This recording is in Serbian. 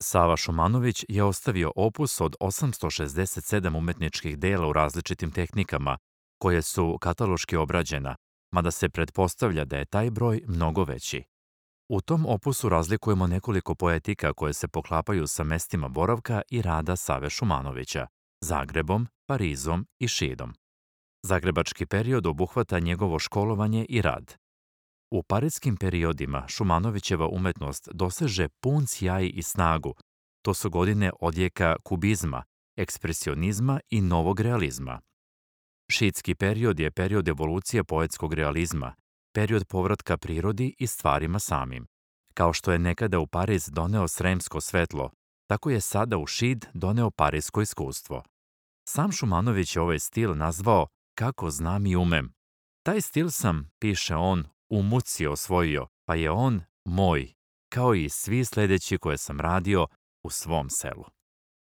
Sava Šumanović je ostavio opus od 867 umetničkih dela u različitim tehnikama, koje su kataloški obrađena, mada se pretpostavlja da je taj broj mnogo veći. U tom opusu razlikujemo nekoliko poetika koje se poklapaju sa mestima boravka i rada Save Šumanovića, Zagrebom, Parizom i Šidom. Zagrebački period obuhvata njegovo školovanje i rad. U parijskim periodima Šumanovićeva umetnost doseže pun sjaj i snagu. To su godine odjeka kubizma, ekspresionizma i novog realizma. Šidski period je period evolucije poetskog realizma, period povratka prirodi i stvarima samim. Kao što je nekada u Pariz doneo sremsko svetlo, tako je sada u Šid doneo parijsko iskustvo. Sam Šumanović je ovaj stil nazvao "kako znam i umem". Taj stil sam, piše on, u muci osvojio, pa je on moj, kao i svi sledeći koje sam radio u svom selu.